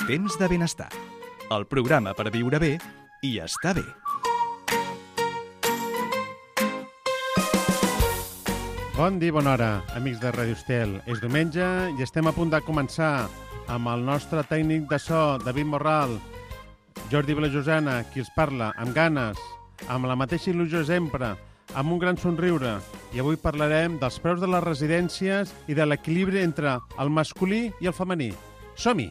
Temps de benestar. El programa per viure bé i estar bé. Bon dia, bona hora, amics de Ràdio Estel. És diumenge i estem a punt de començar amb el nostre tècnic de so, David Morral, Jordi Vilajosana, qui els parla, amb ganes, amb la mateixa il·lusió sempre, amb un gran somriure. I avui parlarem dels preus de les residències i de l'equilibri entre el masculí i el femení. Som-hi!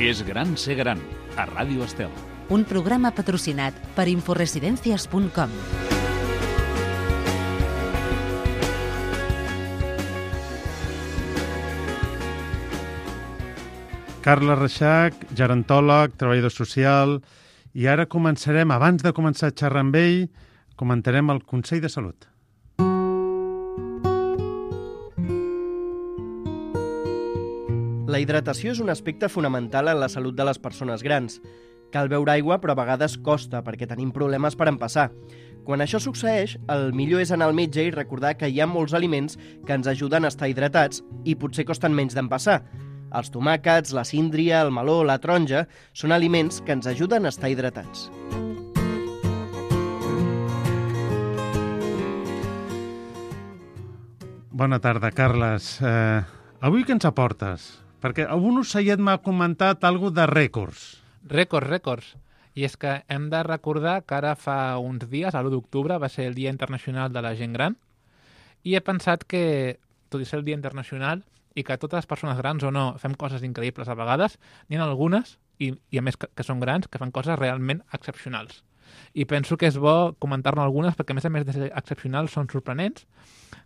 És gran ser gran, a Ràdio Estel. Un programa patrocinat per inforesidencias.com. Carla Reixac, gerontòleg, treballador social, i ara començarem, abans de començar a xerrar amb ell, comentarem el Consell de Salut. La hidratació és un aspecte fonamental en la salut de les persones grans. Cal beure aigua, però a vegades costa, perquè tenim problemes per empassar. Quan això succeeix, el millor és anar al metge i recordar que hi ha molts aliments que ens ajuden a estar hidratats i potser costen menys d'empassar. Els tomàquets, la síndria, el meló, la taronja són aliments que ens ajuden a estar hidratats. Bona tarda, Carles. Avui què ens aportes? Perquè algun ocellet m'ha comentat alguna de rècords. Rècords. I és que hem de recordar que ara fa uns dies, l'1 d'octubre, va ser el Dia Internacional de la Gent Gran, i he pensat que, tot i ser el Dia Internacional, i que totes les persones grans o no fem coses increïbles a vegades, n'hi ha algunes, i a més que són grans, que fan coses realment excepcionals. I penso que és bo comentar-ne algunes, perquè a més de ser excepcionals són sorprenents.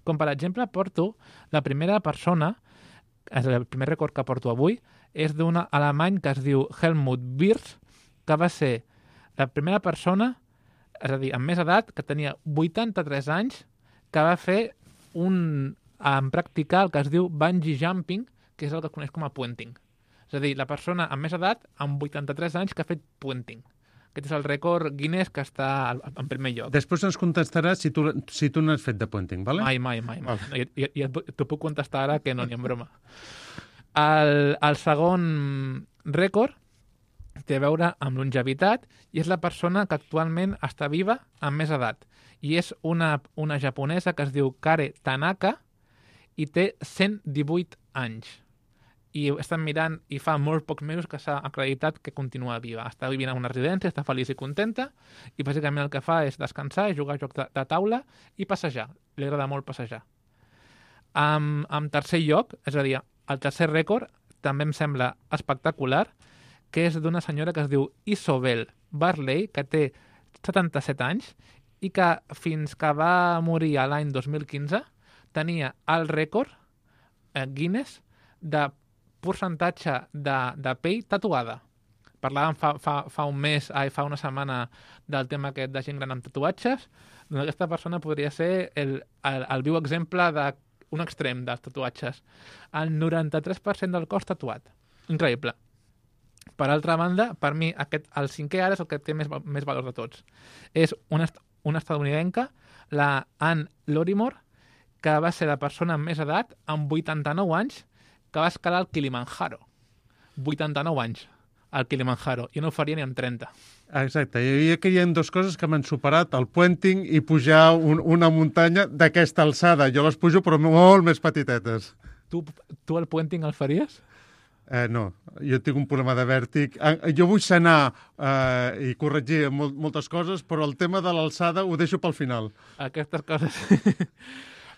Com per exemple, porto la primera persona, el primer rècord que porto avui, és d'un alemany que es diu Helmut Wirth, que va ser la primera persona, és a dir, amb més edat, que tenia 83 anys, que va fer practicar el que es diu bungee jumping, que és el que es coneix com a puenting. És a dir, la persona amb més edat, amb 83 anys, que ha fet puenting. Aquest és el rècord Guinness que està en primer lloc. Després ens contestaràs si tu n'has fet de puenting, ¿vale? Mai. I t'ho puc contestar ara que no n'hi ha broma. El segon rècord té a veure amb longevitat i és la persona que actualment està viva amb més edat. I és una japonesa que es diu Kare Tanaka i té 118 anys. I ho estan mirant i fa molt pocs mesos que s'ha acreditat que continua viva. Està vivint a una residència, està feliç i contenta, i bàsicament el que fa és descansar, jugar a jocs de taula i passejar. Li agrada molt passejar. En tercer lloc, és a dir, el tercer rècord també em sembla espectacular, que és d'una senyora que es diu Isobel Barley, que té 77 anys, i que fins que va morir l'any 2015 tenia el rècord Guinness de percentatge de pell tatuada. Parlàvem fa un mes, fa una setmana del tema aquest de gent gran amb tatuatges. Doncs aquesta persona podria ser el viu exemple d'un extrem dels tatuatges. El 93% del cos tatuat. Increïble. Per altra banda, per mi, el cinquè ara és el que té més valor de tots. És una estadounidenca, la Anne Lorimore, que va ser la persona amb més edat, amb 89 anys, que va escalar el Kilimanjaro. 89 anys, al Kilimanjaro. Jo no ho faria ni amb 30. Exacte. I aquí hi ha dues coses que m'han superat, el puenting i pujar una muntanya d'aquesta alçada. Jo les pujo, però molt més petitetes. Tu el puenting el faries? No, jo tinc un problema de vèrtic. Jo vull sanar i corregir moltes coses, però el tema de l'alçada ho deixo pel final. Aquestes coses...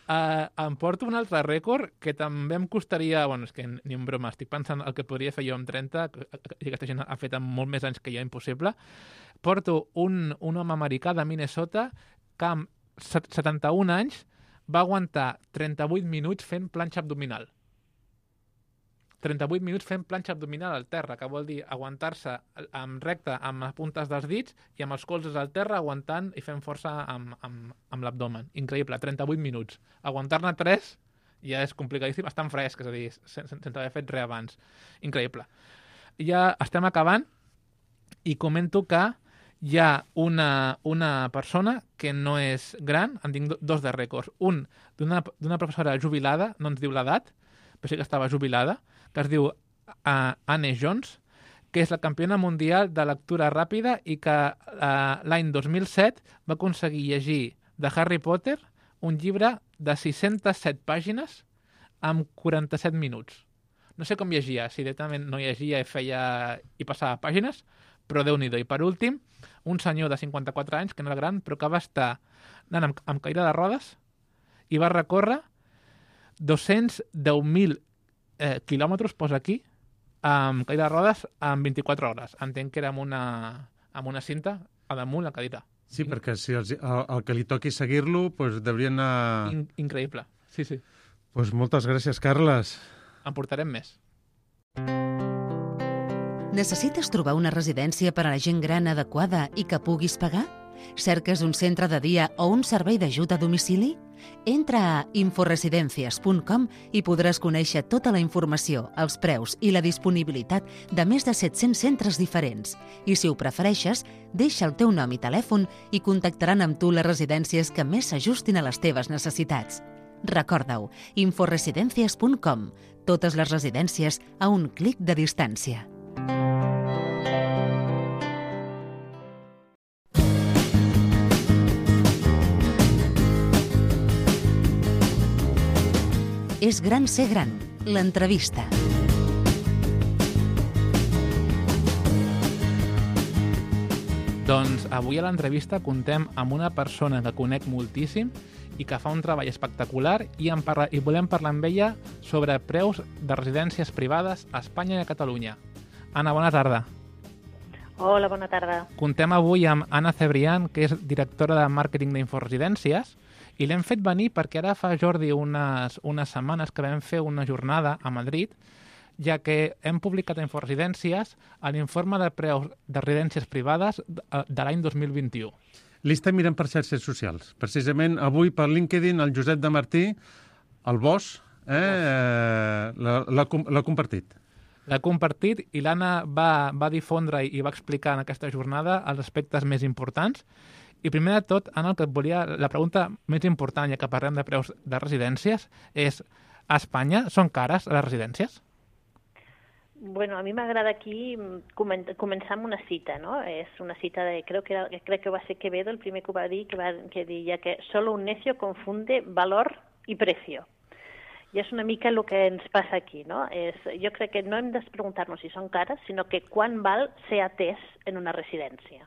Em porto un altre rècord que també em costaria... Bueno, és que ni en broma, estic pensant el que podria fer jo amb 30, i aquesta gent ha fet amb molt més anys que jo, impossible. Porto un home americà de Minnesota que amb 71 anys va aguantar 38 minuts fent planxa abdominal. 38 minuts fent planxa abdominal al terra, que vol dir aguantar-se recte amb les puntes dels dits i amb els colzes al terra aguantant i fent força amb l'abdomen. Increïble, 38 minuts. Aguantar-ne 3 ja és complicadíssim, estan fresc, és a dir, sense haver fet res abans. Increïble. Ja estem acabant i comento que hi ha una persona que no és gran, en tinc dos de rècords. Un d'una professora jubilada, no ens diu l'edat, però sí que estava jubilada, que es diu Anne Jones, que és la campiona mundial de lectura ràpida i que l'any 2007 va aconseguir llegir de Harry Potter un llibre de 607 pàgines amb 47 minuts. No sé com llegia, si directament no llegia i passava pàgines, però Déu-n'hi-do. I per últim, un senyor de 54 anys, que no era gran, però que va estar anant amb cadira de rodes i va recórrer 210.000 quilòmetres, posa aquí, amb cadira de rodes en 24 hores. Entenc que era amb una cinta a damunt la cadira. Sí, perquè si el que li toqui seguir-lo, doncs deurien anar... Increïble, sí, sí. Doncs moltes gràcies, Carles. En portarem més. Necessites trobar una residència per a la gent gran adequada i que puguis pagar? Cerques un centre de dia o un servei d'ajut a domicili? Entra a inforesidencias.com i podràs conèixer tota la informació, els preus i la disponibilitat de més de 700 centres diferents. I si ho prefereixes, deixa el teu nom i telèfon i contactaran amb tu les residències que més s'ajustin a les teves necessitats. Recorda-ho, inforesidencias.com. Totes les residències a un clic de distància. És gran ser gran. L'entrevista. Doncs avui a l'entrevista contem amb una persona que conec moltíssim i que fa un treball espectacular i volem parlar amb ella sobre preus de residències privades a Espanya i a Catalunya. Anna, bona tarda. Hola, bona tarda. Contem avui amb Anna Cebrián, que és directora de màrqueting d'Inforesidències, i l'hem fet venir perquè ara fa, Jordi, unes setmanes que vam fer una jornada a Madrid, ja que hem publicat a Inforesidències l'informe de preus de residències privades de l'any 2021. L'estem mirant per xarxes socials. Precisament avui per LinkedIn el Josep de Martí, el boss, l'ha compartit. L'ha compartit i l'Anna va difondre i va explicar en aquesta jornada els aspectes més importants. I primer de tot, Anna, la pregunta més important, ja que parlem de preus de residències, és: a Espanya són cares les residències? Bueno, a mi m'agrada aquí començar amb una cita, ¿no? És una cita de, crec que va ser Quevedo el primer que ho va dir, que deia que solo un necio confunde valor y precio. I és una mica el que ens passa aquí, no? Jo crec que no hem de preguntar-nos si són cares, sinó que quan val ser atès en una residència.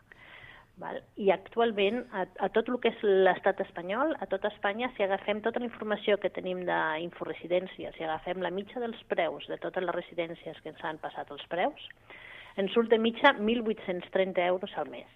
Val? I actualment, a tot el que és l'estat espanyol, a tota Espanya, si agafem tota la informació que tenim d'Inforesidències, si agafem la mitja dels preus de totes les residències que ens han passat els preus, ens surt de mitja 1.830 euros al mes.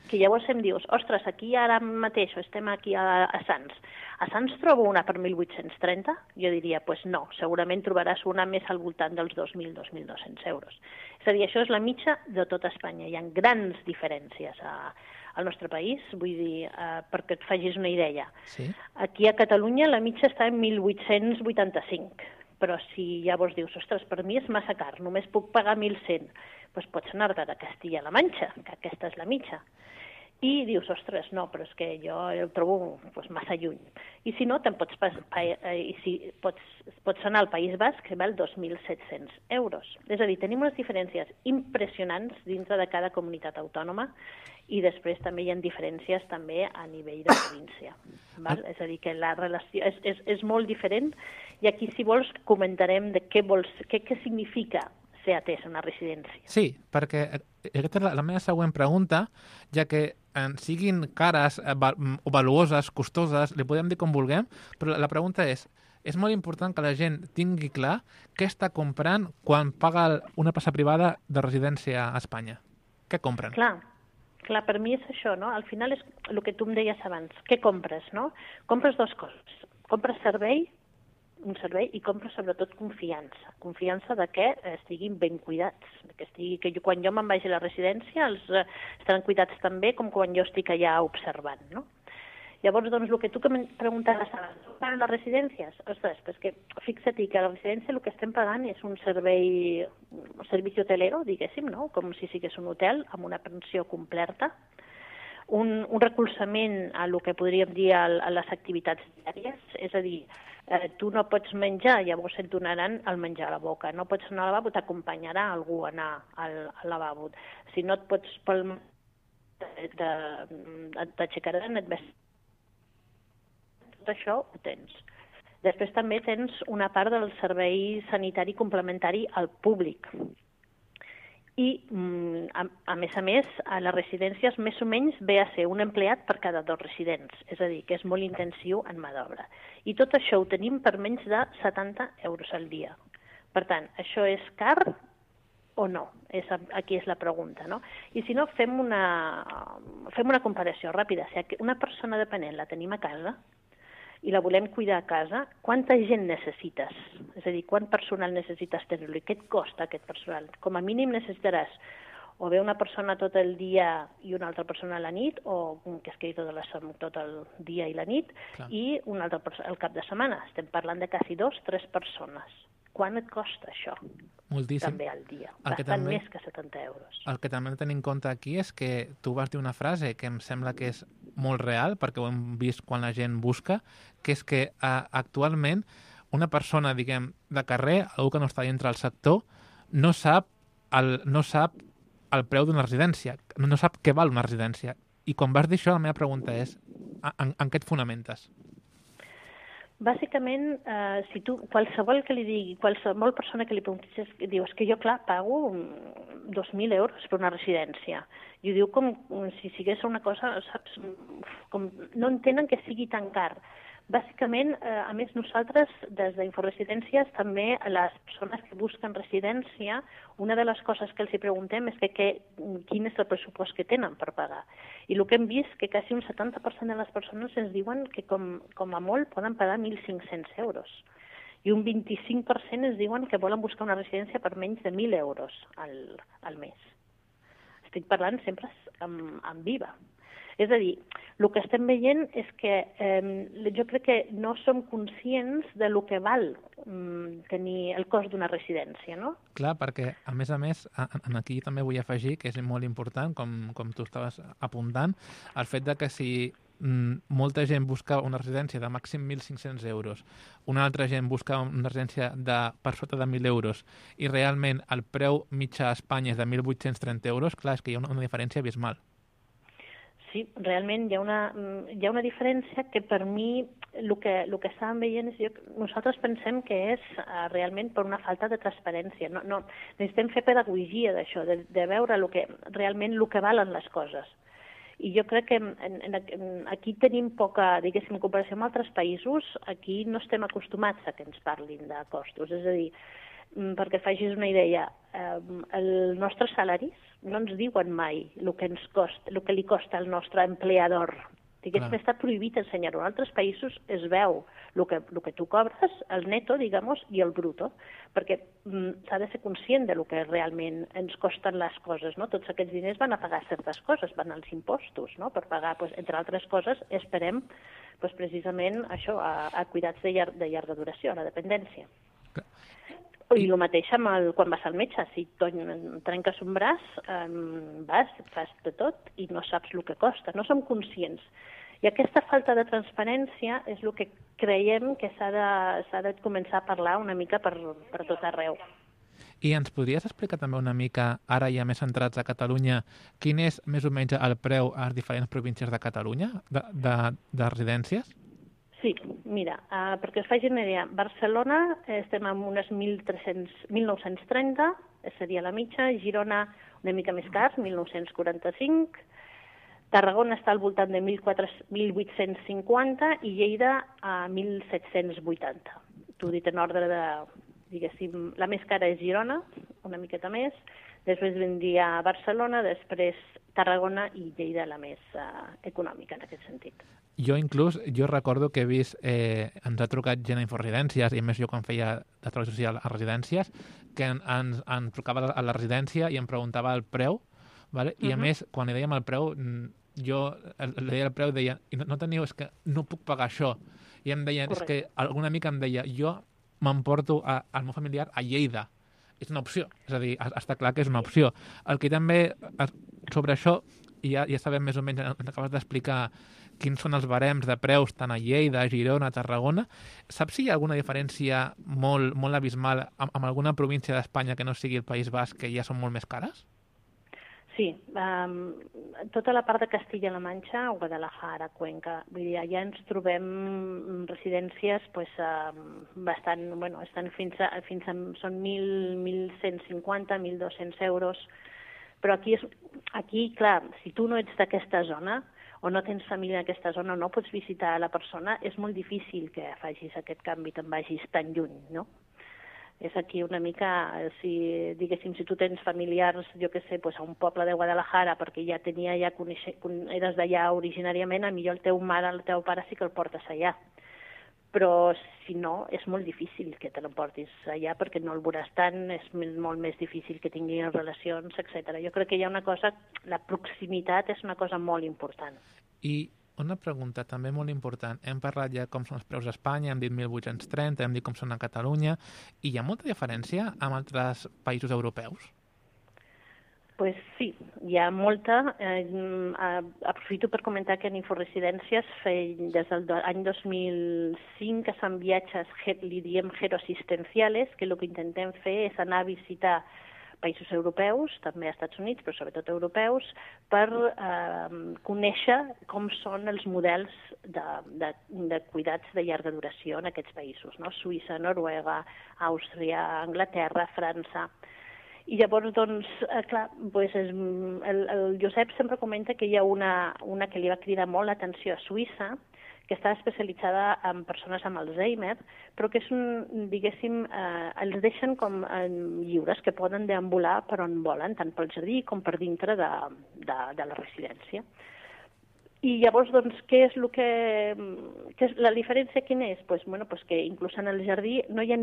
Que llavors em dius, ostres, aquí ara mateix estem aquí a Sants. A Sants trobo una per 1.830? Jo diria, pues no, segurament trobaràs una més al voltant dels 2.000, 2.200 euros. És a dir, això és la mitja de tota Espanya. Hi ha grans diferències al nostre país, vull dir, perquè et facis una idea. Sí. Aquí a Catalunya la mitja està en 1.885, però si llavors dius, ostres, per mi és massa car, només puc pagar 1.100, doncs pots anar-te a Castilla-La Manxa, que aquesta és la mitja. I dius, ostres, no, però és que jo el trobo massa lluny. I si no, pots anar al País Basc, que val 2.700 euros. És a dir, tenim unes diferències impressionants dintre de cada comunitat autònoma i després també hi ha diferències també a nivell de província. Val? És a dir, que la relació és molt diferent i aquí, si vols, comentarem de què significa ser atès a una residència. Sí, perquè aquesta és la meva següent pregunta, ja que siguin cares o valuoses, costoses, li podem dir com vulguem, però la pregunta és molt important que la gent tingui clar què està comprant quan paga una plaça privada de residència a Espanya. Què compren? Clar, per mi és això, no? Al final és el que tu em deies abans. Què compres, no? Compres dues coses. Compres servei un servei i compro sobretot confiança. Confiança de que estiguin ben cuidats, que quan jo me'n vagi a la residència estaran cuidats tan bé com quan jo estic allà observant, no? Llavors, doncs, el que tu em preguntaves abans, per les residències? Ostres, pues que fixa't que a la residència el que estem pagant és un servici hotelero, diguéssim, no? Com si sigués un hotel amb una pensió completa, un recolzament a el que podríem dir a les activitats diàries, és a dir, tu no pots menjar, llavors et donaran el menjar a la boca. No pots anar al lavabo, t'acompanyarà algú a anar al lavabo. Si no et pots t'aixecaran, et vestiràs. Tot això ho tens. Després també tens una part del servei sanitari complementari al públic. I, a més, a les residències més o menys ve a ser un empleat per cada 2 residents, és a dir, que és molt intensiu en mà d'obra. I tot això ho tenim per menys de 70 euros al dia. Per tant, això és car o no? Aquí és la pregunta, no? I si no, fem una comparació ràpida. Si una persona dependent la tenim a casa i la volem cuidar a casa, quanta gent necessites? És a dir, quant personal necessites tenir-lo i què et costa aquest personal? Com a mínim necessitaràs o bé una persona tot el dia i una altra persona a la nit, o que es quedi tot el dia i la nit, clar, i una altra persona al cap de setmana. Estem parlant de quasi 2-3 persones. Quant et costa això? Moltíssim. També al dia. Bastant més que 70 euros. El que també hem de tenir en compte aquí és que tu vas dir una frase que em sembla que és molt real, perquè ho hem vist quan la gent busca, que és que actualment una persona, diguem, de carrer, algú que no està dintre del sector, no sap el preu d'una residència, no sap què val una residència. I quan vas dir això, la meva pregunta és, en què et fonamentes? Bàsicament, si tu, qualsevol persona que li preguntis, diu, és que jo, clar, pago 2.000 euros per una residència. I ho diu com si sigués una cosa, saps, com no entenen que sigui tan car. Bàsicament, a més, nosaltres, des d'Inforesidències, també a les persones que busquen residència, una de les coses que els hi preguntem és quin és el pressupost que tenen per pagar. I el que hem vist que quasi un 70% de les persones ens diuen que com a molt poden pagar 1.500 euros. I un 25% ens diuen que volen buscar una residència per menys de 1.000 euros al mes. Estic parlant sempre en viva. És a dir, el que estem veient és que jo crec que no som conscients de lo que val tenir el cost d'una residència, no? Clar, perquè, a més, aquí també vull afegir, que és molt important, com tu estaves apuntant, el fet de que si molta gent busca una residència de màxim 1.500 euros, una altra gent busca una residència per sota de 1.000 euros i realment el preu mitjà a Espanya és de 1.830 euros, clar, és que hi ha una diferència abismal. Sí, realment hi ha una diferència que per mi el que estàvem veient és nosaltres pensem que és realment per una falta de transparència. No, necessitem fer pedagogia d'això, de veure realment el que valen les coses. I jo crec que aquí tenim poca, diguéssim, en comparació amb altres països, aquí no estem acostumats a que ens parlin de costos. És a dir, perquè facis una idea, els nostres salaris no ens diuen mai el que li costa al nostre empleador. Diguéssim, està prohibit ensenyar-ho. En altres països es veu el que tu cobres, el neto, diguem-ho, i el bruto, perquè s'ha de ser conscient de lo que realment ens costen les coses, no? Tots aquests diners van a pagar certes coses, van als impostos, no? Per pagar, entre altres coses, esperem precisament això, a cuidats de llarga duració, a la dependència. I el mateix quan vas al metge, si trenques un braç, fas de tot i no saps el que costa, no som conscients. I aquesta falta de transparència és el que creiem que s'ha de començar a parlar una mica per tot arreu. I ens podries explicar també una mica, ara ja més centrats a Catalunya, quin és més o menys el preu a les diferents províncies de Catalunya de residències? Sí, mira, perquè us faci una idea, Barcelona estem amb unes 1.930, seria la mitja, Girona una mica més car, 1.945, Tarragona està al voltant de 1.850 i Lleida a 1.780. T'ho he dit en ordre de, diguéssim, la més cara és Girona, una miqueta més, després vindria Barcelona, després Tarragona i Lleida la més econòmica en aquest sentit. Jo recordo que he vist, ens ha trucat gent a Inforesidències, i a més jo quan feia de treball social a residències, que ens trucava a la residència i em preguntava el preu, vale? I a més, quan li dèiem el preu, jo li deia el preu i deia, no teniu, és que no puc pagar això. I em deien, és que alguna amica em deia, jo m'emporto al meu familiar a Lleida. És una opció, és a dir, està clar que és una opció. El que també, sobre això, i ja sabem més o menys, acabes d'explicar quins són els barems de preus tant a Lleida, a Girona, a Tarragona. Saps si hi ha alguna diferència molt, molt abismal amb alguna província d'Espanya que no sigui el País Basc, que ja són molt més cares? Sí, tota la part de Castilla-La Manxa o Guadalajara, Cuenca, vull dir, allà ens trobem residències bastant, bueno, estan fins a són 1.150, 1.200 euros, però aquí, clar, si tu no ets d'aquesta zona o no tens família en aquesta zona, no pots visitar la persona, és molt difícil que facis aquest canvi, te'n vagis tan lluny, no? És aquí una mica, diguéssim, si tu tens familiars, jo què sé, a un poble de Guadalajara, perquè eres d'allà originàriament, millor el teu mare, el teu pare sí que el portes allà. Però si no, és molt difícil que te l'emportis allà perquè no el veuràs tant, és molt més difícil que tinguin relacions, etc. Jo crec que hi ha una cosa, la proximitat és una cosa molt important. I una pregunta també molt important. Hem parlat ja com són els preus a Espanya, hem dit 1.830, hem dit com són a Catalunya, i hi ha molta diferència amb altres països europeus? Pues sí, hi ha molta. Aprofito per comentar que en Inforesidències des de l'any 2005 que fan viatges, li diem geroassistenciales, que el que intentem fer és anar a visitar països europeus, també a Estats Units, però sobretot europeus, per conèixer com són els models de cuidats de llarga duració en aquests països, no? Suïssa, Noruega, Àustria, Anglaterra, França. I llavors, doncs, clar, el Josep sempre comenta que hi ha una que li va cridar molt l'atenció a Suïssa, que està especialitzada en persones amb Alzheimer, però que és diguéssim, els deixen com lliures, que poden deambular per on volen, tant pel jardí com per dintre de la residència. I llavors, doncs, què és la diferència quina és? Doncs que inclús en el jardí no hi ha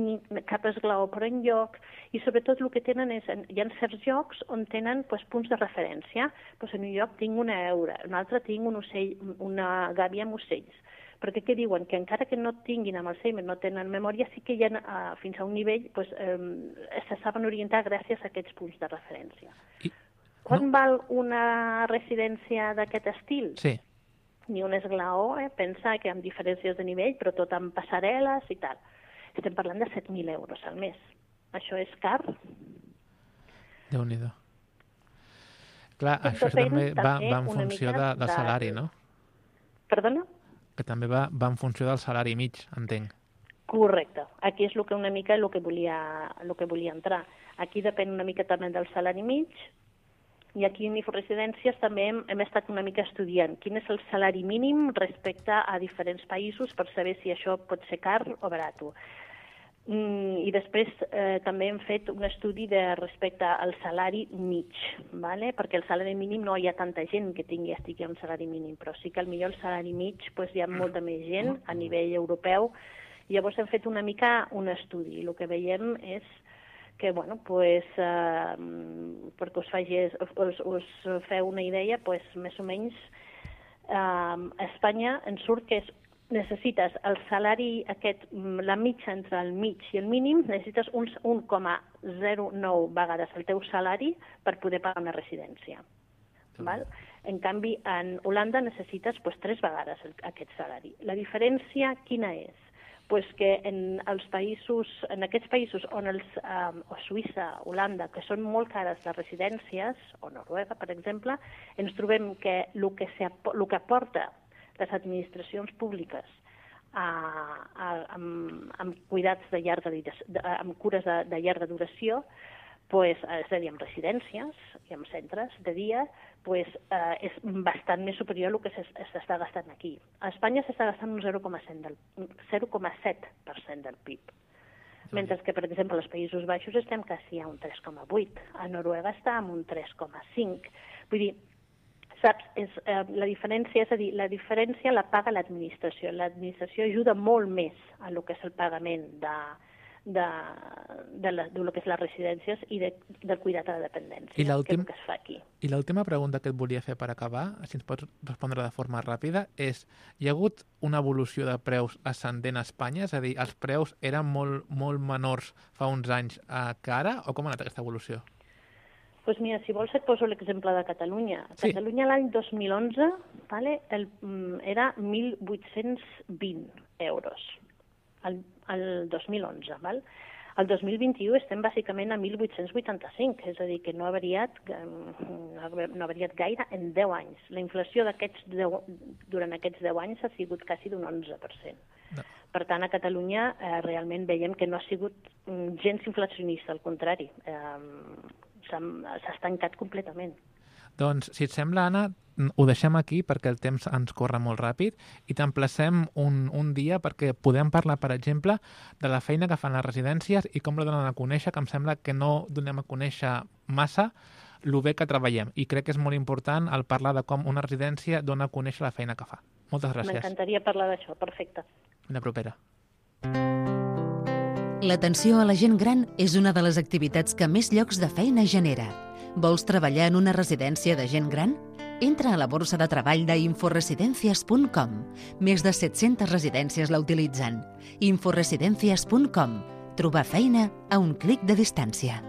cap esglaó per enlloc i sobretot el que tenen és, hi ha certs llocs on tenen punts de referència. En un lloc tinc una heura, en un altre tinc un ocell, una gàbia amb ocells. Perquè què diuen? Que encara que no tinguin amb Alzheimer, no tenen memòria, sí que hi ha fins a un nivell, se saben orientar gràcies a aquests punts de referència. Quan val una residència d'aquest estil? Sí. Ni un esglaó, pensa que amb diferències de nivell, però tot amb passarel·les i tal. Estem parlant de 7.000 euros al mes. Això és car. Déu-n'hi-do. Clar, això també va en funció del salari, no? Perdona? Que també va en funció del salari mig, entenc. Correcte. Aquí és una mica el que volia entrar. Aquí depèn una mica també del salari mig, i aquí en Inforesidències també hem estat una mica estudiant quin és el salari mínim respecte a diferents països per saber si això pot ser car o barat. I després també hem fet un estudi respecte al salari mig, perquè el salari mínim no hi ha tanta gent que estigui un salari mínim, però sí que potser el salari mig hi ha molta més gent a nivell europeu. Llavors hem fet una mica un estudi i el que veiem és que, perquè us feu una idea, més o menys a Espanya ens surt que necessites el salari aquest, la mitja entre el mig i el mínim, necessites uns 1,09 vegades el teu salari per poder pagar una residència. En canvi, en Holanda necessites 3 vegades aquest salari. La diferència quina és? Que en aquests països on o Suïssa, Holanda, que són molt cares les residències, o Noruega, per exemple, ens trobem que el que aporta les administracions públiques amb cuidats de amb cures de llarga duració, és a dir, amb residències i amb centres de dia, és bastant més superior al que s'està gastant aquí. A Espanya s'està gastant un 0,7% del PIB, mentre que, per exemple, als Països Baixos estem quasi a un 3,8%, a Noruega està en un 3,5%. Vull dir, Saps, la diferència, és a dir, la diferència la paga l'administració. L'administració ajuda molt més a lo que és el pagament de lo que és les residències i del cuidat a la dependència, que és el que es fa aquí. I l'última pregunta que et volia fer per acabar, si ens pots respondre de forma ràpida, és: hi ha hagut una evolució de preus ascendent a Espanya? És a dir, els preus eren molt, molt menors fa uns anys que ara? O com ha anat aquesta evolució? Doncs mira, si vols et poso l'exemple de Catalunya. Sí. Catalunya l'any 2011 era 1.820 euros. El 2011, val? El 2021 estem bàsicament a 1.885, és a dir, que no ha variat gaire en 10 anys. La inflació durant aquests 10 anys ha sigut quasi d'un 11%. No. Per tant, a Catalunya realment veiem que no ha sigut gens inflacionista, al contrari, s'ha estancat completament. Doncs, si et sembla, Anna, ho deixem aquí perquè el temps ens corre molt ràpid i t'emplacem un dia perquè podem parlar, per exemple, de la feina que fan les residències i com la donen a conèixer, que em sembla que no donem a conèixer massa el bé que treballem. I crec que és molt important el parlar de com una residència dona a conèixer la feina que fa. Moltes gràcies. M'encantaria parlar d'això, perfecte. Una propera. L'atenció a la gent gran és una de les activitats que més llocs de feina genera. Vols treballar en una residència de gent gran? Entra a la borsa de treball d'inforesidencias.com. Més de 700 residències la utilitzen. Inforesidencias.com. Trobar feina a un clic de distància.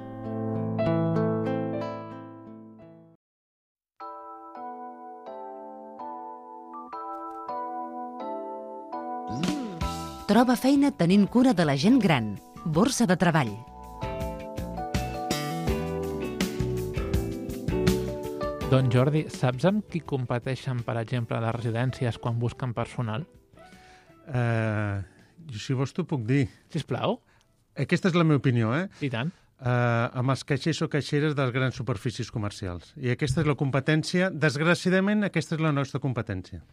Troba feina tenint cura de la gent gran. Borsa de treball. Doncs Jordi, saps amb qui competeixen, per exemple, les residències quan busquen personal? Si vols t'ho puc dir. Sisplau. Aquesta és la meva opinió, I tant. Amb els caixers o caixeres de les grans superfícies comercials. I aquesta és la competència. Desgraciadament, aquesta és la nostra competència.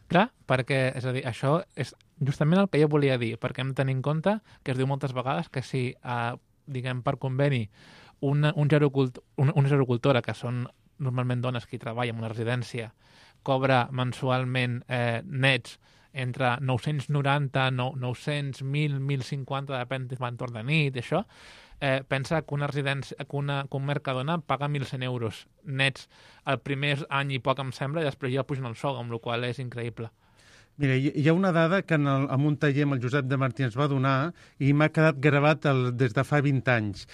Clar, perquè, és a dir, això és justament el que jo volia dir, perquè hem de tenir en compte que es diu moltes vegades que si, diguem, per conveni, una gerocultora, que són normalment dones que hi treballen en una residència, cobra mensualment nets entre 990, 900, 1.000, 1.050, depèn de l'entorn de nit, això, pensa que una residència, que un Mercadona paga 1.100 euros nets el primer any i poc, em sembla, i després ja pugen el sou, amb la qual cosa és increïble. Mira, hi ha una dada que en un taller amb el Josep de Martí ens va donar i m'ha quedat gravat des de fa 20 anys.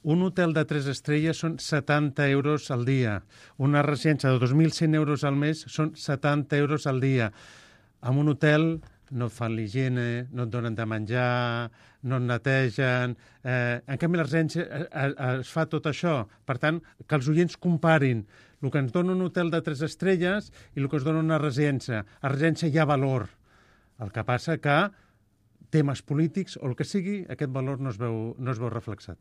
Un hotel de 3 estrelles són 70 euros al dia. Una residència de 2.100 euros al mes són 70 euros al dia. En un hotel no et fan l'higiene, no et donen de menjar, no et netegen. En canvi, a la residència es fa tot això. Per tant, que els oients comparin el que ens dona un hotel de 3 estrelles i el que es dona una residència. A la residència hi ha valor. El que passa que temes polítics o el que sigui, aquest valor no es veu reflexat.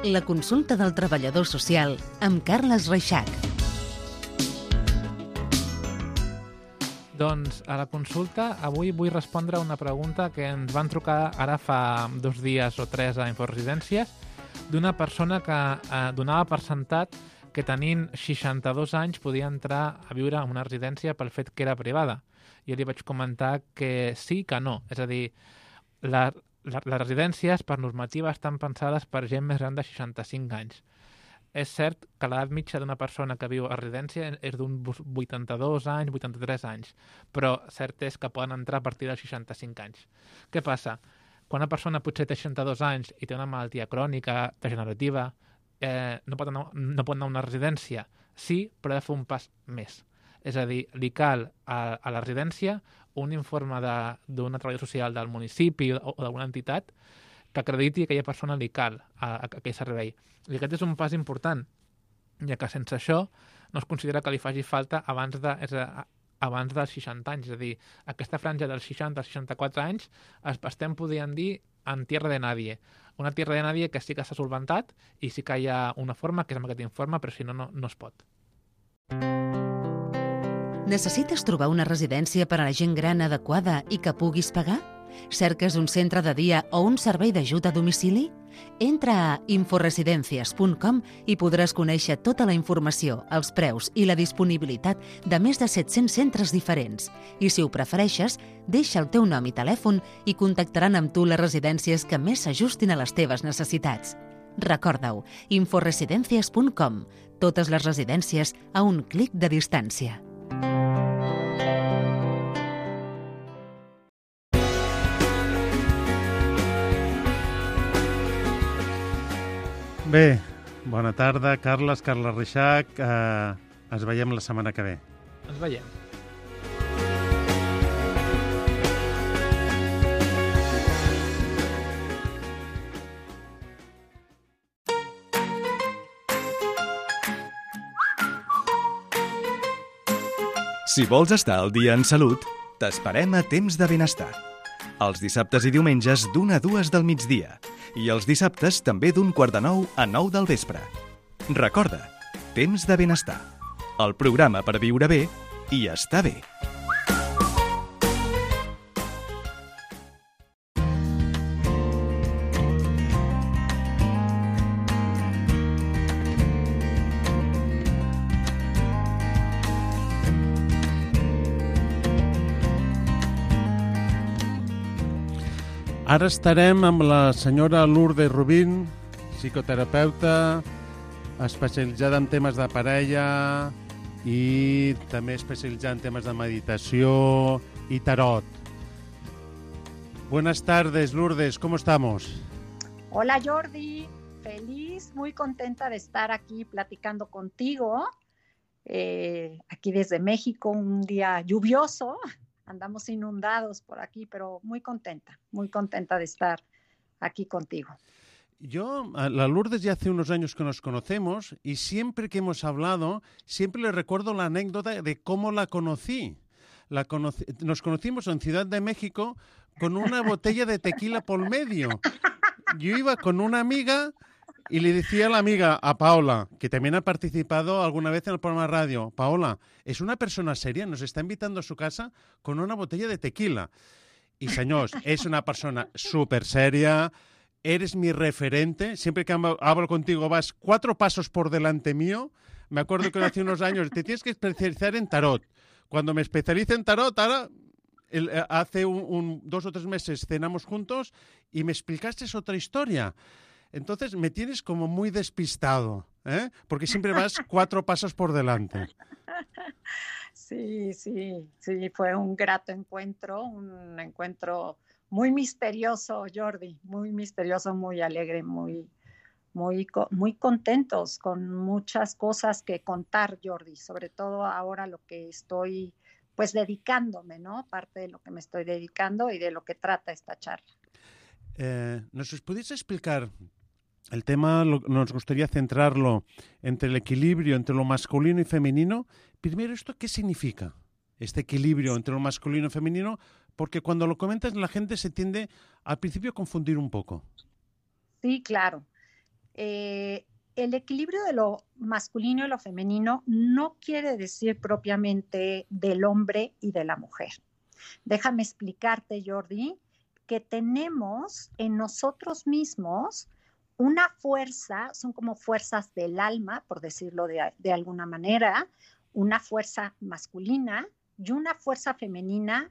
La consulta del treballador social amb Carles Reixac. Doncs a la consulta avui vull respondre a una pregunta que ens van trucar ara fa 2 dies o 3 a Inforesidències d'una persona que donava per sentat que tenint 62 anys podia entrar a viure en una residència pel fet que era privada. Jo li vaig comentar que sí, que no. És a dir, les residències, per normativa, estan pensades per gent més gran de 65 anys. És cert que l'edat mitja d'una persona que viu a residència és d'uns 82 anys, 83 anys, però cert és que poden entrar a partir dels 65 anys. Què passa? Quan una persona potser té 62 anys i té una malaltia crònica, degenerativa, no pot anar a una residència. Sí, però ha de fer un pas més. És a dir, li cal a la residència un informe d'una treballadora social del municipi o d'alguna entitat que acrediti que aquella persona li cal a aquell servei. I aquest és un pas important, ja que sense això no es considera que li faci falta abans dels 60 anys. És a dir, aquesta franja dels 60 als 64 anys estem podent dir en tierra de nadie. Una tierra de nadie que sí que s'ha solventat i sí que hi ha una forma, que és amb aquest informe, però si no, no es pot. Necessites trobar una residència per a la gent gran adequada i que puguis pagar? Cerques un centre de dia o un servei d'ajut a domicili? Entra a inforesidencias.com i podràs conèixer tota la informació, els preus i la disponibilitat de més de 700 centres diferents. I si ho prefereixes, deixa el teu nom i telèfon i contactaran amb tu les residències que més s'ajustin a les teves necessitats. Recorda-ho, inforesidencias.com. Totes les residències a un clic de distància. Bé, bona tarda, Carles Reixac. Ens veiem la setmana que ve. Ens veiem. Si vols estar al dia en salut, t'esperem a Temps de Benestar. Els dissabtes i diumenges d'1 a 2 del migdia. I els dissabtes també d'8:45 a 9 del vespre. Recorda, Temps de Benestar. El programa per viure bé i estar bé. Ara estarem amb la senyora Lourdes Rubín, psicoterapeuta, especialitzada en temes de parella i també especialitzada en temes de meditació y tarot. Buenas tardes, Lourdes, ¿cómo estamos? Hola, Jordi. Feliz, muy contenta de estar aquí platicando contigo. Aquí desde México, un día lluvioso. Andamos inundados por aquí, pero muy contenta de estar aquí contigo. Yo, a la Lourdes ya hace unos años que nos conocemos y siempre que hemos hablado, siempre le recuerdo la anécdota de cómo la conocí. Nos conocimos en Ciudad de México con una botella de tequila por medio. Yo iba con una amiga y le decía a la amiga, a Paola, que también ha participado alguna vez en el programa de radio, Paola, es una persona seria, nos está invitando a su casa con una botella de tequila. Y señores, es una persona súper seria, eres mi referente, siempre que hablo contigo vas 4 pasos por delante mío. Me acuerdo que hace unos años te tienes que especializar en tarot. Cuando me especialicé en tarot, ahora hace 2 o 3 meses cenamos juntos y me explicaste otra historia. Entonces me tienes como muy despistado, ¿eh? Porque siempre vas 4 pasos por delante. Sí, fue un grato encuentro, un encuentro muy misterioso, Jordi, muy misterioso, muy alegre, muy contentos, con muchas cosas que contar, Jordi, sobre todo ahora lo que estoy pues dedicándome, ¿no? Parte de lo que me estoy dedicando y de lo que trata esta charla. ¿Nos podéis explicar? El tema nos gustaría centrarlo entre el equilibrio entre lo masculino y femenino. Primero, ¿esto qué significa? Este equilibrio entre lo masculino y femenino, porque cuando lo comentas la gente se tiende al principio a confundir un poco. Sí, claro. El equilibrio de lo masculino y lo femenino no quiere decir propiamente del hombre y de la mujer. Déjame explicarte, Jordi, que tenemos en nosotros mismos una fuerza, son como fuerzas del alma, por decirlo de alguna manera, una fuerza masculina y una fuerza femenina,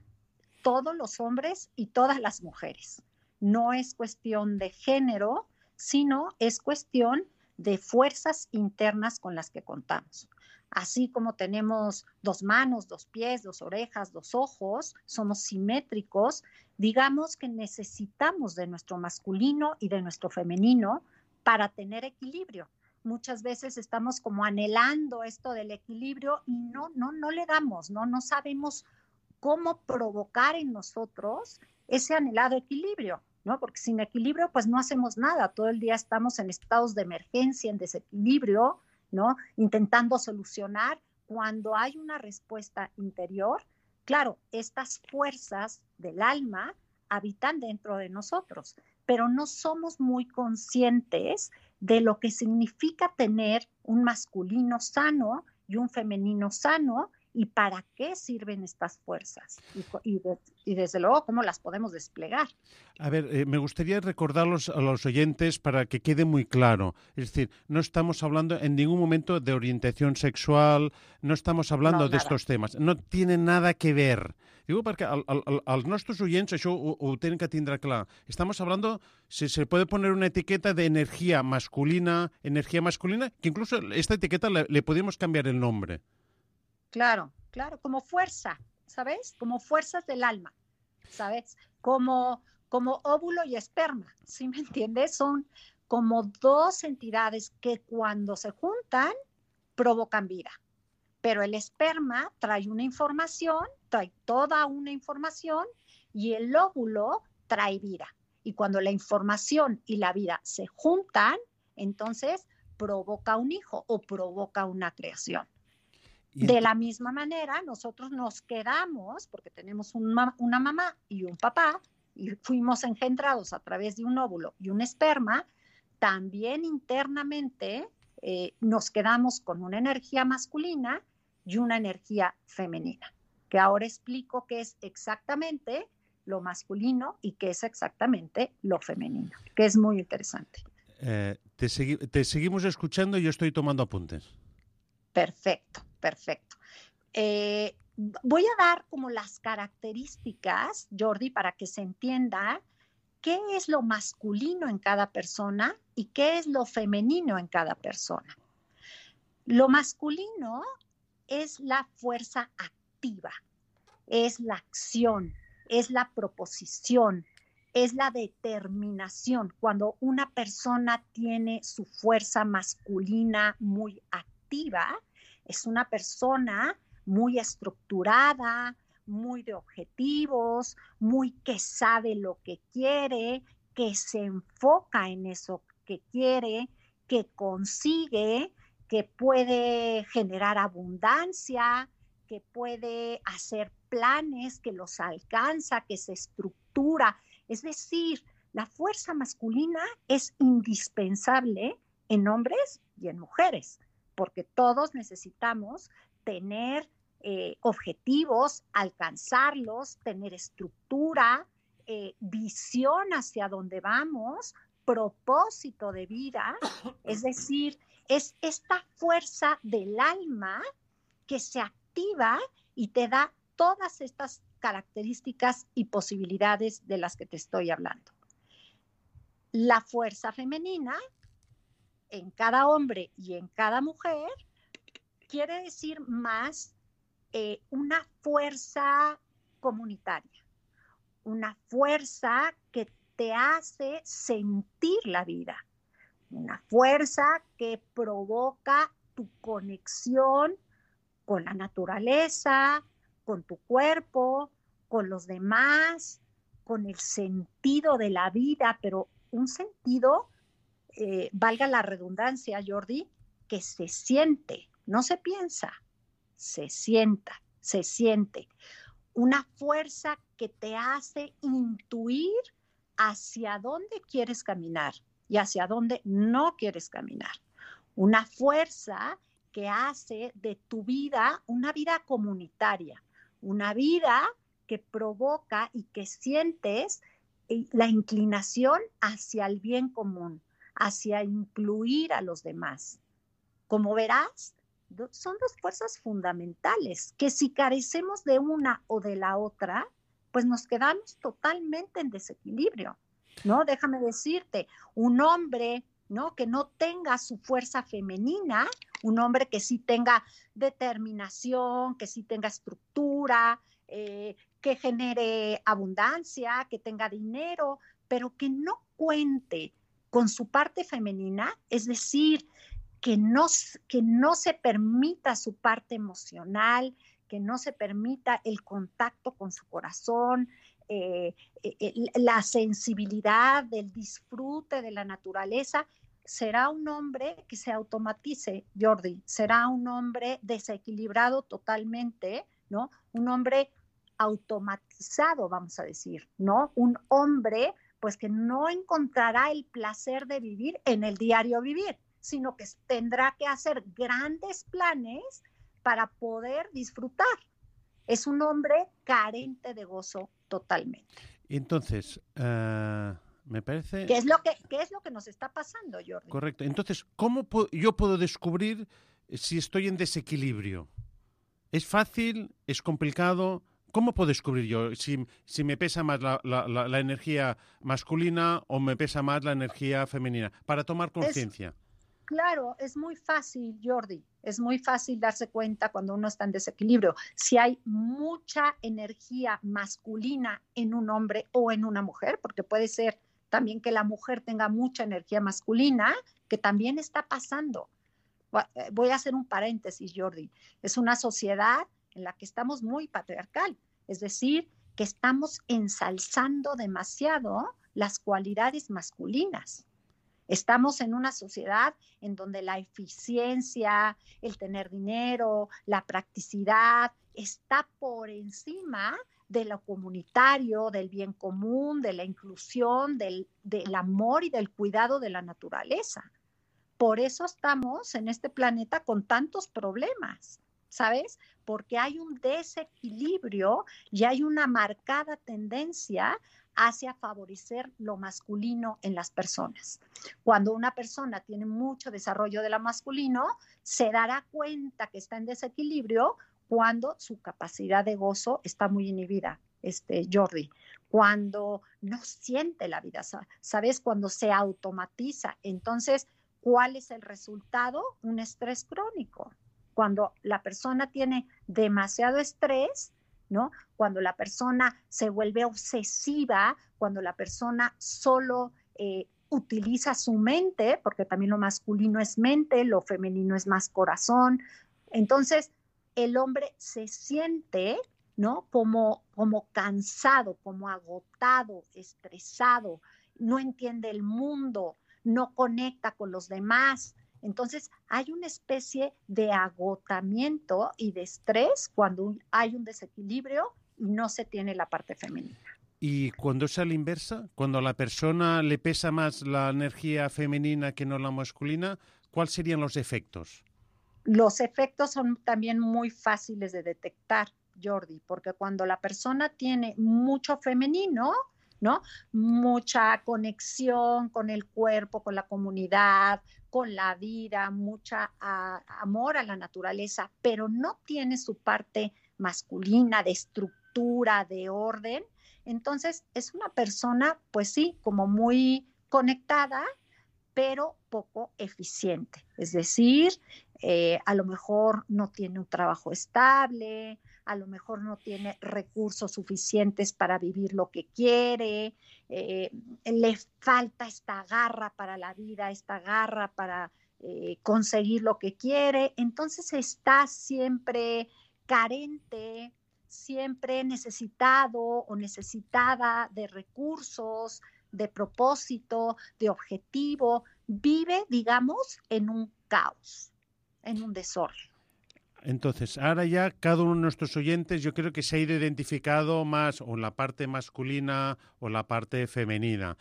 todos los hombres y todas las mujeres. No es cuestión de género, sino es cuestión de fuerzas internas con las que contamos. Así como tenemos 2 manos, 2 pies, 2 orejas, 2 ojos, somos simétricos, digamos que necesitamos de nuestro masculino y de nuestro femenino para tener equilibrio. Muchas veces estamos como anhelando esto del equilibrio y no le damos, no sabemos cómo provocar en nosotros ese anhelado equilibrio, ¿no? Porque sin equilibrio pues no hacemos nada, todo el día estamos en estados de emergencia, en desequilibrio, ¿no? Intentando solucionar. Cuando hay una respuesta interior, claro, estas fuerzas del alma habitan dentro de nosotros, pero no somos muy conscientes de lo que significa tener un masculino sano y un femenino sano y para qué sirven estas fuerzas y desde luego cómo las podemos desplegar. A ver, me gustaría recordarlos a los oyentes para que quede muy claro. Es decir, no estamos hablando en ningún momento de orientación sexual, no estamos hablando de estos temes. No tiene nada que ver. Digo perquè als nostres oients això ho tenen que tindre clar. Estamos hablando, si se puede poner una etiqueta de energía masculina, que incluso esta etiqueta le podemos cambiar el nombre. Claro, como fuerza, ¿sabes? Como fuerzas del alma, ¿sabes? Como óvulo y esperma, ¿sí me entiendes? Son como dos entidades que cuando se juntan provocan vida. Pero el esperma trae una información, trae toda una información, y el óvulo trae vida. Y cuando la información y la vida se juntan, entonces provoca un hijo o provoca una creación. De la misma manera, nosotros nos quedamos, porque tenemos una mamá y un papá, y fuimos engendrados a través de un óvulo y un esperma, también internamente nos quedamos con una energía masculina y una energía femenina, que ahora explico qué es exactamente lo masculino y qué es exactamente lo femenino, que es muy interesante. Te seguimos escuchando y yo estoy tomando apuntes. Perfecto. Voy a dar como las características, Jordi, para que se entienda qué es lo masculino en cada persona y qué es lo femenino en cada persona. Lo masculino es la fuerza activa, es la acción, es la proposición, es la determinación. Cuando una persona tiene su fuerza masculina muy activa, es una persona muy estructurada, muy de objetivos, muy que sabe lo que quiere, que se enfoca en eso que quiere, que consigue, que puede generar abundancia, que puede hacer planes, que los alcanza, que se estructura. Es decir, la fuerza masculina es indispensable en hombres y en mujeres, porque todos necesitamos tener objetivos, alcanzarlos, tener estructura, visión hacia dónde vamos, propósito de vida. Es decir, es esta fuerza del alma que se activa y te da todas estas características y posibilidades de las que te estoy hablando. La fuerza femenina en cada hombre y en cada mujer quiere decir más una fuerza comunitaria, una fuerza que te hace sentir la vida, una fuerza que provoca tu conexión con la naturaleza, con tu cuerpo, con los demás, con el sentido de la vida, pero un sentido, valga la redundancia, Jordi, que se siente, no se piensa, se siente. Una fuerza que te hace intuir hacia dónde quieres caminar y hacia dónde no quieres caminar. Una fuerza que hace de tu vida una vida comunitaria, una vida que provoca y que sientes la inclinación hacia el bien común, hacia incluir a los demás. Como verás, son dos fuerzas fundamentales que si carecemos de una o de la otra, pues nos quedamos totalmente en desequilibrio, ¿no? Déjame decirte, un hombre, ¿no?, que no tenga su fuerza femenina, un hombre que sí tenga determinación, que sí tenga estructura, que genere abundancia, que tenga dinero, pero que no cuente con su parte femenina, es decir, que no se permita su parte emocional, que no se permita el contacto con su corazón, la sensibilidad del disfrute de la naturaleza, será un hombre que se automatice, Jordi, será un hombre desequilibrado totalmente, ¿no? Un hombre automatizado, vamos a decir, ¿no? Un hombre, pues, que no encontrará el placer de vivir en el diario vivir, sino que tendrá que hacer grandes planes para poder disfrutar. Es un hombre carente de gozo totalmente. Entonces, me parece... ¿Qué es lo que nos está pasando, Jordi? Correcto. Entonces, ¿cómo yo puedo descubrir si estoy en desequilibrio? ¿Es fácil? ¿Es complicado? ¿Cómo puedo descubrir yo si me pesa más la energía masculina o me pesa más la energía femenina? Para tomar conciencia. Claro, es muy fácil, Jordi. Es muy fácil darse cuenta cuando uno está en desequilibrio. Si hay mucha energía masculina en un hombre o en una mujer, porque puede ser también que la mujer tenga mucha energía masculina, que también está pasando. Voy a hacer un paréntesis, Jordi. Es una sociedad en la que estamos muy patriarcal, es decir, que estamos ensalzando demasiado las cualidades masculinas. Estamos en una sociedad en donde la eficiencia, el tener dinero, la practicidad está por encima de lo comunitario, del bien común, de la inclusión, del amor y del cuidado de la naturaleza. Por eso estamos en este planeta con tantos problemas, ¿sabes? Porque hay un desequilibrio y hay una marcada tendencia hacia favorecer lo masculino en las personas. Cuando una persona tiene mucho desarrollo de lo masculino, se dará cuenta que está en desequilibrio cuando su capacidad de gozo está muy inhibida, Jordi. Cuando no siente la vida, ¿sabes? Cuando se automatiza. Entonces, ¿cuál es el resultado? Un estrés crónico. Cuando la persona tiene demasiado estrés, ¿no? Cuando la persona se vuelve obsesiva, cuando la persona solo utiliza su mente, porque también lo masculino es mente, lo femenino es más corazón. Entonces, el hombre se siente, ¿no? Como cansado, como agotado, estresado, no entiende el mundo, no conecta con los demás. Entonces, hay una especie de agotamiento y de estrés cuando hay un desequilibrio y no se tiene la parte femenina. Y cuando es a la inversa, cuando a la persona le pesa más la energía femenina que no la masculina, ¿cuáles serían los efectos? Los efectos son también muy fáciles de detectar, Jordi, porque cuando la persona tiene mucho femenino, ¿no? Mucha conexión con el cuerpo, con la comunidad, con la vida, mucha amor a la naturaleza, pero no tiene su parte masculina de estructura, de orden. Entonces es una persona, pues sí, como muy conectada, pero poco eficiente. Es decir, a lo mejor no tiene un trabajo estable, a lo mejor no tiene recursos suficientes para vivir lo que quiere, le falta esta garra para la vida, esta garra para conseguir lo que quiere. Entonces está siempre carente, siempre necesitado o necesitada de recursos, de propósito, de objetivo. Vive, digamos, en un caos, en un desorden. Entonces, ahora ya cada uno de nuestros oyentes yo creo que se ha ido identificado más o la parte masculina o la parte femenina.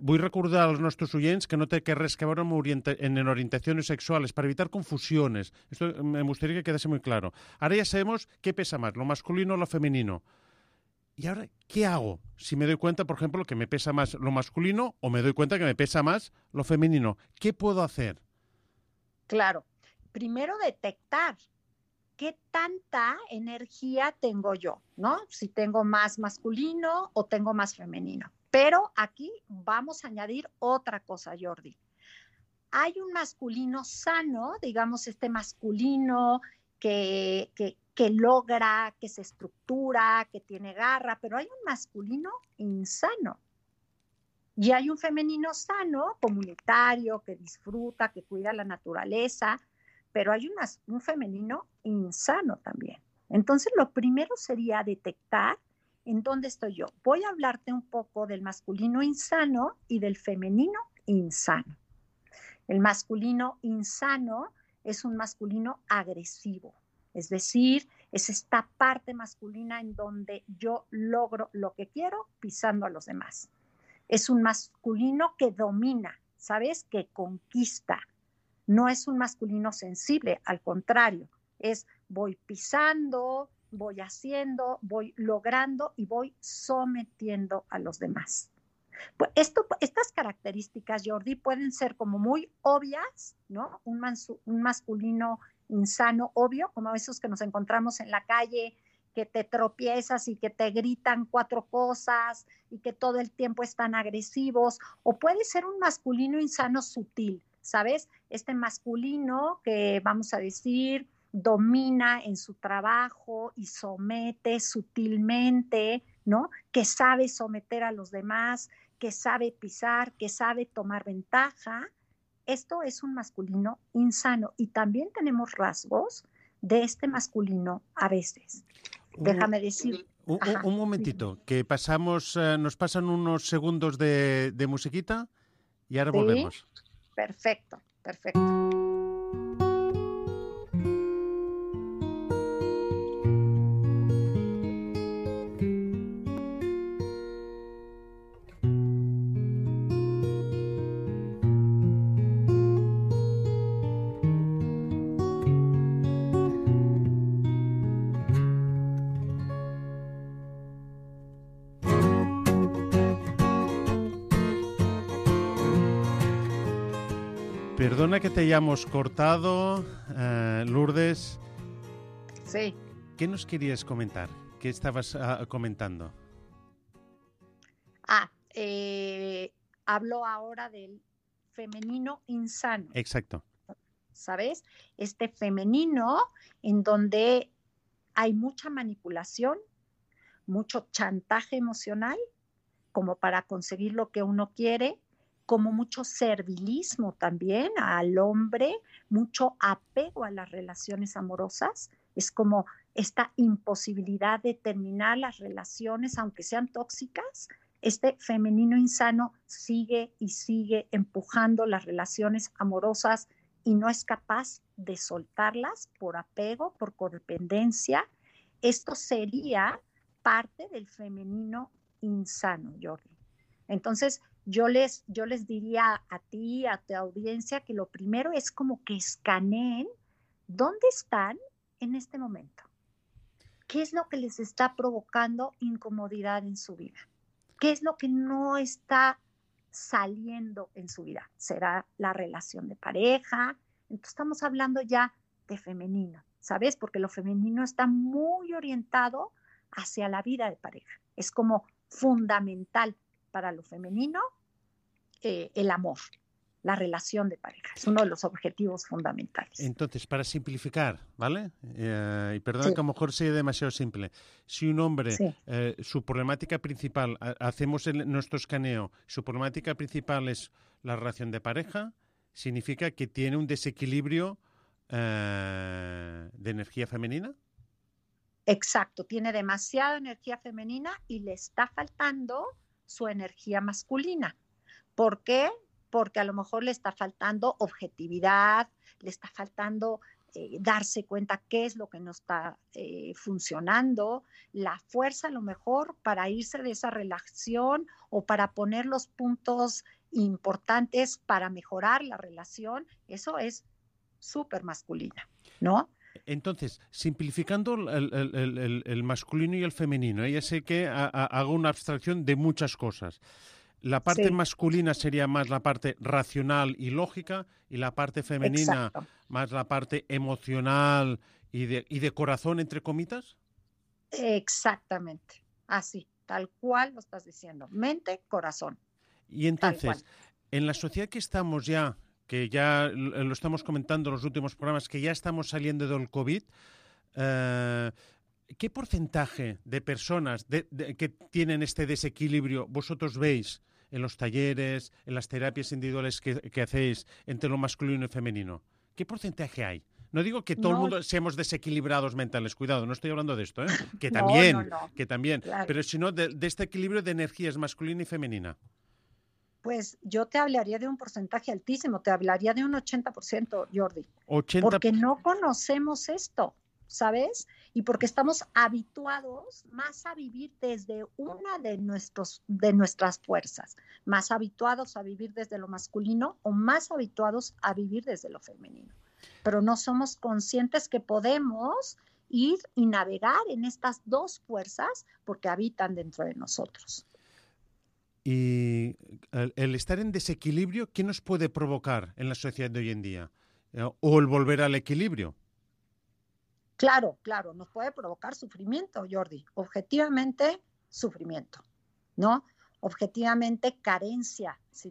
Vull recordar als nostres oients que no té res que veure en orientaciones sexuales para evitar confusiones. Esto me gustaría que quedase muy claro. Ahora ya sabemos qué pesa más, lo masculino o lo femenino. ¿Y ahora qué hago? Si me doy cuenta, por ejemplo, que me pesa más lo masculino o me doy cuenta que me pesa más lo femenino. ¿Qué puedo hacer? Claro. Primero detectar qué tanta energía tengo yo, ¿no? Si tengo más masculino o tengo más femenino. Pero aquí vamos a añadir otra cosa, Jordi. Hay un masculino sano, digamos este masculino que logra, que se estructura, que tiene garra, pero hay un masculino insano. Y hay un femenino sano, comunitario, que disfruta, que cuida la naturaleza, pero hay un femenino insano también. Entonces, lo primero sería detectar en dónde estoy yo. Voy a hablarte un poco del masculino insano y del femenino insano. El masculino insano es un masculino agresivo, es decir, es esta parte masculina en donde yo logro lo que quiero pisando a los demás. Es un masculino que domina, ¿sabes? Que conquista. No es un masculino sensible, al contrario, es voy pisando, voy haciendo, voy logrando y voy sometiendo a los demás. Pues estas características, Jordi, pueden ser como muy obvias, ¿no? Un masculino insano, obvio, como esos que nos encontramos en la calle, que te tropiezas y que te gritan 4 cosas y que todo el tiempo están agresivos, o puede ser un masculino insano sutil, ¿sabes? Este masculino que, vamos a decir, domina en su trabajo y somete sutilmente, ¿no? Que sabe someter a los demás, que sabe pisar, que sabe tomar ventaja. Esto es un masculino insano y también tenemos rasgos de este masculino a veces. Déjame decir. Un momentito, que nos pasan unos segundos de musiquita y ahora volvemos. Perfecto. Perdona que te hayamos cortado, Lourdes. Sí. ¿Qué nos querías comentar? ¿Qué estabas comentando? Hablo ahora del femenino insano. Exacto. ¿Sabes? Este femenino en donde hay mucha manipulación, mucho chantaje emocional, como para conseguir lo que uno quiere, como mucho servilismo también al hombre, mucho apego a las relaciones amorosas. Es como esta imposibilidad de terminar las relaciones, aunque sean tóxicas. Este femenino insano sigue y sigue empujando las relaciones amorosas y no es capaz de soltarlas por apego, por codependencia. Esto sería parte del femenino insano, Jordi. Entonces, yo les diría a ti, a tu audiencia, que lo primero es como que escaneen dónde están en este momento. ¿Qué es lo que les está provocando incomodidad en su vida? ¿Qué es lo que no está saliendo en su vida? ¿Será la relación de pareja? Entonces estamos hablando ya de femenino, ¿sabes? Porque lo femenino está muy orientado hacia la vida de pareja. Es como fundamental para lo femenino el amor, la relación de pareja. Es uno de los objetivos fundamentales. Entonces, para simplificar, ¿vale? Y perdona que a lo mejor sea demasiado simple. Si un hombre, su problemática principal, hacemos nuestro escaneo, su problemática principal es la relación de pareja, significa que tiene un desequilibrio de energía femenina. Exacto, tiene demasiada energía femenina y le está faltando su energía masculina. ¿Por qué? Porque a lo mejor le está faltando objetividad, le está faltando darse cuenta qué es lo que no está funcionando, la fuerza a lo mejor para irse de esa relación o para poner los puntos importantes para mejorar la relación. Eso es súper masculina, ¿no? Entonces, simplificando el masculino y el femenino, ya sé que hago una abstracción de muchas cosas. La parte masculina sería más la parte racional y lógica y la parte femenina más la parte emocional y de corazón, entre comitas. Exactamente, así, tal cual lo estás diciendo, mente, corazón. Y entonces, en la sociedad que estamos ya, que ya lo estamos comentando en los últimos programas, que ya estamos saliendo del COVID, ¿qué porcentaje de personas que tienen este desequilibrio vosotros veis en los talleres, en las terapias individuales que hacéis entre lo masculino y femenino? ¿Qué porcentaje hay? No digo que todo el mundo seamos desequilibrados mentales, cuidado, no estoy hablando de esto, que también, claro. Pero sino de este equilibrio de energías masculina y femenina. Pues yo te hablaría de un porcentaje altísimo, te hablaría de un 80%, Jordi. 80%. Porque no conocemos esto, ¿sabes? Y porque estamos habituados más a vivir desde una de nuestras fuerzas, más habituados a vivir desde lo masculino o más habituados a vivir desde lo femenino. pero no somos conscientes que podemos ir y navegar en estas dos fuerzas porque habitan dentro de nosotros. Y el estar en desequilibrio, ¿qué nos puede provocar en la sociedad de hoy en día? ¿O el volver al equilibrio? Claro, nos puede provocar sufrimiento, Jordi. Objetivamente, sufrimiento, ¿no? Objetivamente, carencia. Si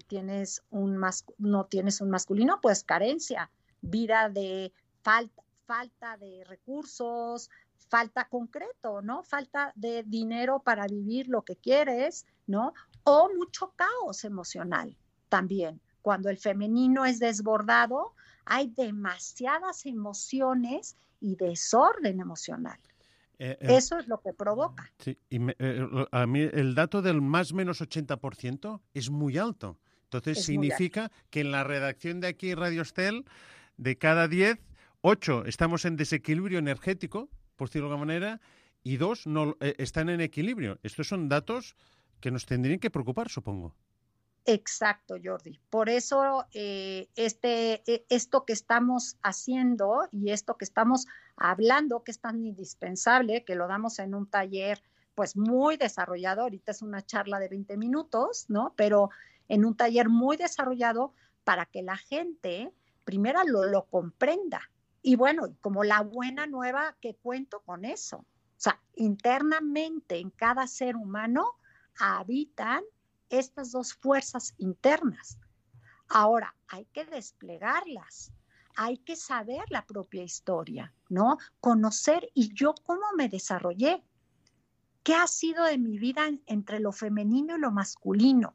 no tienes un masculino, pues carencia. Vida de falta de recursos, falta concreto, ¿no? Falta de dinero para vivir lo que quieres, ¿no? O mucho caos emocional también. Cuando el femenino es desbordado, hay demasiadas emociones y desorden emocional. Eso es lo que provoca. Sí, y a mí el dato del más o menos 80% es muy alto. Entonces significa que en la redacción de aquí Radio Estel, de cada 10, 8 estamos en desequilibrio energético, por decirlo de alguna manera, y 2 no están en equilibrio. Estos son datos que nos tendrían que preocupar, supongo. Exacto, Jordi. Por eso esto que estamos haciendo y esto que estamos hablando, que es tan indispensable, que lo damos en un taller pues muy desarrollado, ahorita es una charla de 20 minutos, ¿no? Pero en un taller muy desarrollado para que la gente primero lo comprenda. Y bueno, como la buena nueva que cuento con eso. O sea, internamente en cada ser humano habitan estas dos fuerzas internas. Ahora, hay que desplegarlas, hay que saber la propia historia, ¿no? Conocer y yo cómo me desarrollé, qué ha sido de mi vida entre lo femenino y lo masculino.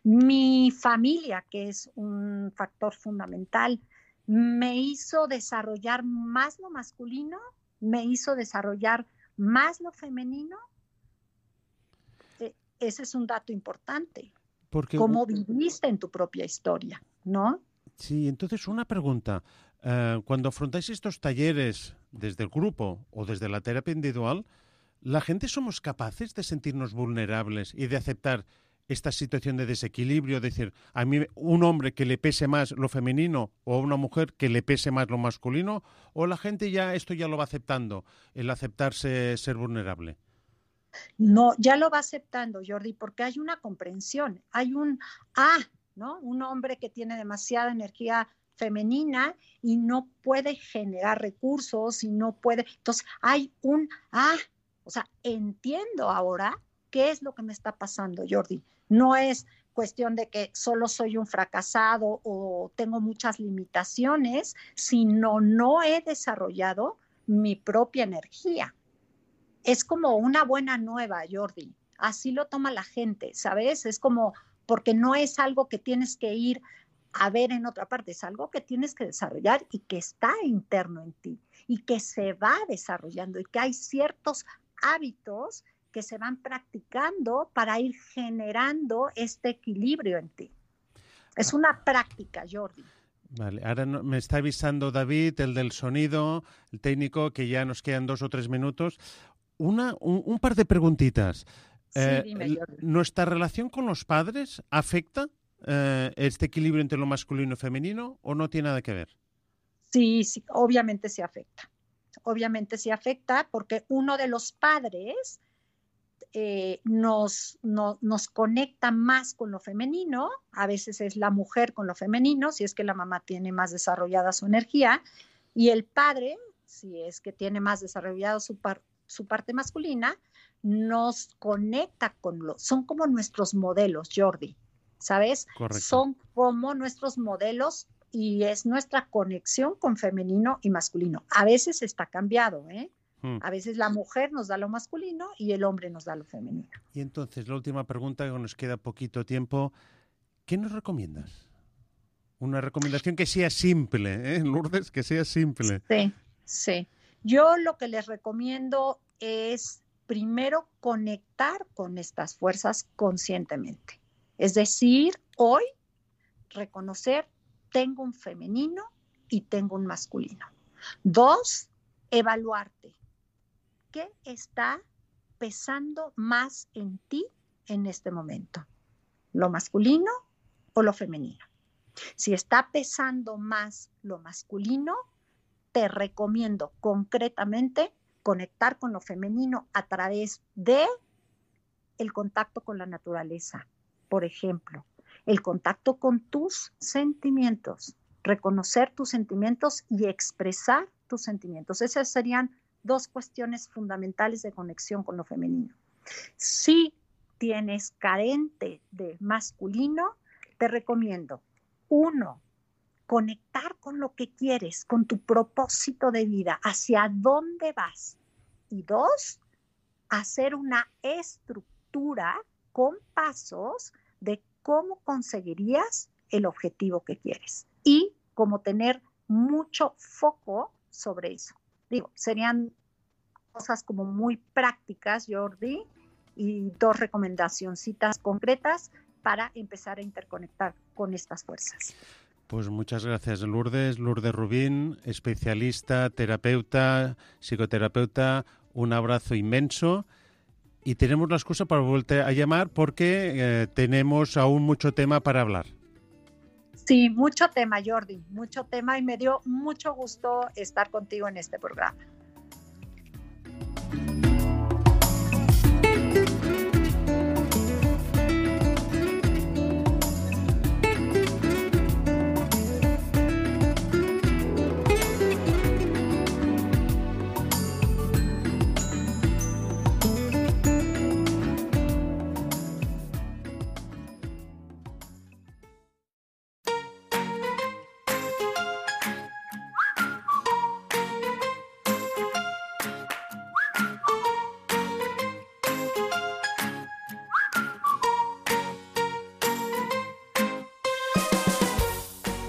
Mi familia, que es un factor fundamental, me hizo desarrollar más lo masculino, me hizo desarrollar más lo femenino. Ese es un dato importante. Porque cómo viviste en tu propia historia, ¿no? Sí, entonces una pregunta. Cuando afrontáis estos talleres desde el grupo o desde la terapia individual, ¿la gente somos capaces de sentirnos vulnerables y de aceptar esta situación de desequilibrio? Es decir, a mí un hombre que le pese más lo femenino o una mujer que le pese más lo masculino, ¿o la gente esto ya lo va aceptando, el aceptarse ser vulnerable? No, ya lo va aceptando, Jordi, porque hay una comprensión, hay ¿no? Un hombre que tiene demasiada energía femenina y no puede generar recursos y no puede, entonces hay o sea, entiendo ahora qué es lo que me está pasando, Jordi. No es cuestión de que solo soy un fracasado o tengo muchas limitaciones, sino no he desarrollado mi propia energía. Es como una buena nueva, Jordi. Así lo toma la gente, ¿sabes? Es como, porque no es algo que tienes que ir a ver en otra parte, es algo que tienes que desarrollar y que está interno en ti y que se va desarrollando y que hay ciertos hábitos que se van practicando para ir generando este equilibrio en ti. Es una práctica, Jordi. Vale, ahora me está avisando David, el del sonido, el técnico, que ya nos quedan 2 o 3 minutos. Un par de preguntitas. Sí, dime, Jordi. ¿Nuestra relación con los padres afecta este equilibrio entre lo masculino y femenino o no tiene nada que ver? Sí, obviamente sí afecta. Obviamente sí afecta porque uno de los padres nos conecta más con lo femenino, a veces es la mujer con lo femenino, si es que la mamá tiene más desarrollada su energía, y el padre, si es que tiene más desarrollado su parte masculina, nos conecta son como nuestros modelos, Jordi, ¿sabes? Correcto. Son como nuestros modelos y es nuestra conexión con femenino y masculino. A veces está cambiado, ¿eh? A veces la mujer nos da lo masculino y el hombre nos da lo femenino. Y entonces, la última pregunta, que nos queda poquito tiempo. ¿Qué nos recomiendas? Una recomendación que sea simple, ¿eh, Lourdes? Que sea simple. Sí. Yo lo que les recomiendo es primero conectar con estas fuerzas conscientemente. Es decir, hoy reconocer, tengo un femenino y tengo un masculino. 2, evaluarte. ¿Qué está pesando más en ti en este momento? ¿Lo masculino o lo femenino? Si está pesando más lo masculino, te recomiendo concretamente conectar con lo femenino a través de el contacto con la naturaleza, por ejemplo, el contacto con tus sentimientos, reconocer tus sentimientos y expresar tus sentimientos. Esas serían 2 cuestiones fundamentales de conexión con lo femenino. Si tienes carente de masculino, te recomiendo, 1, conectar con lo que quieres, con tu propósito de vida, hacia dónde vas. Y 2, hacer una estructura con pasos de cómo conseguirías el objetivo que quieres y cómo tener mucho foco sobre eso. Digo, serían cosas como muy prácticas, Jordi, y 2 recomendacioncitas concretas para empezar a interconectar con estas fuerzas. Pues muchas gracias, Lourdes. Lourdes Rubín, especialista, terapeuta, psicoterapeuta. Un abrazo inmenso. Y tenemos la excusa para volver a llamar porque tenemos aún mucho tema para hablar. Sí, mucho tema, Jordi, mucho tema, y me dio mucho gusto estar contigo en este programa.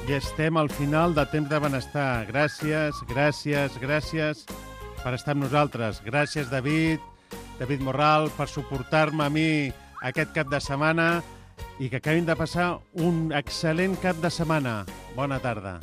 I estem al final de Temps de Benestar. Gràcies, gràcies, gràcies per estar amb nosaltres. Gràcies, David Morral, per suportar-me a mi aquest cap de setmana i que acabin de passar un excel·lent cap de setmana. Bona tarda.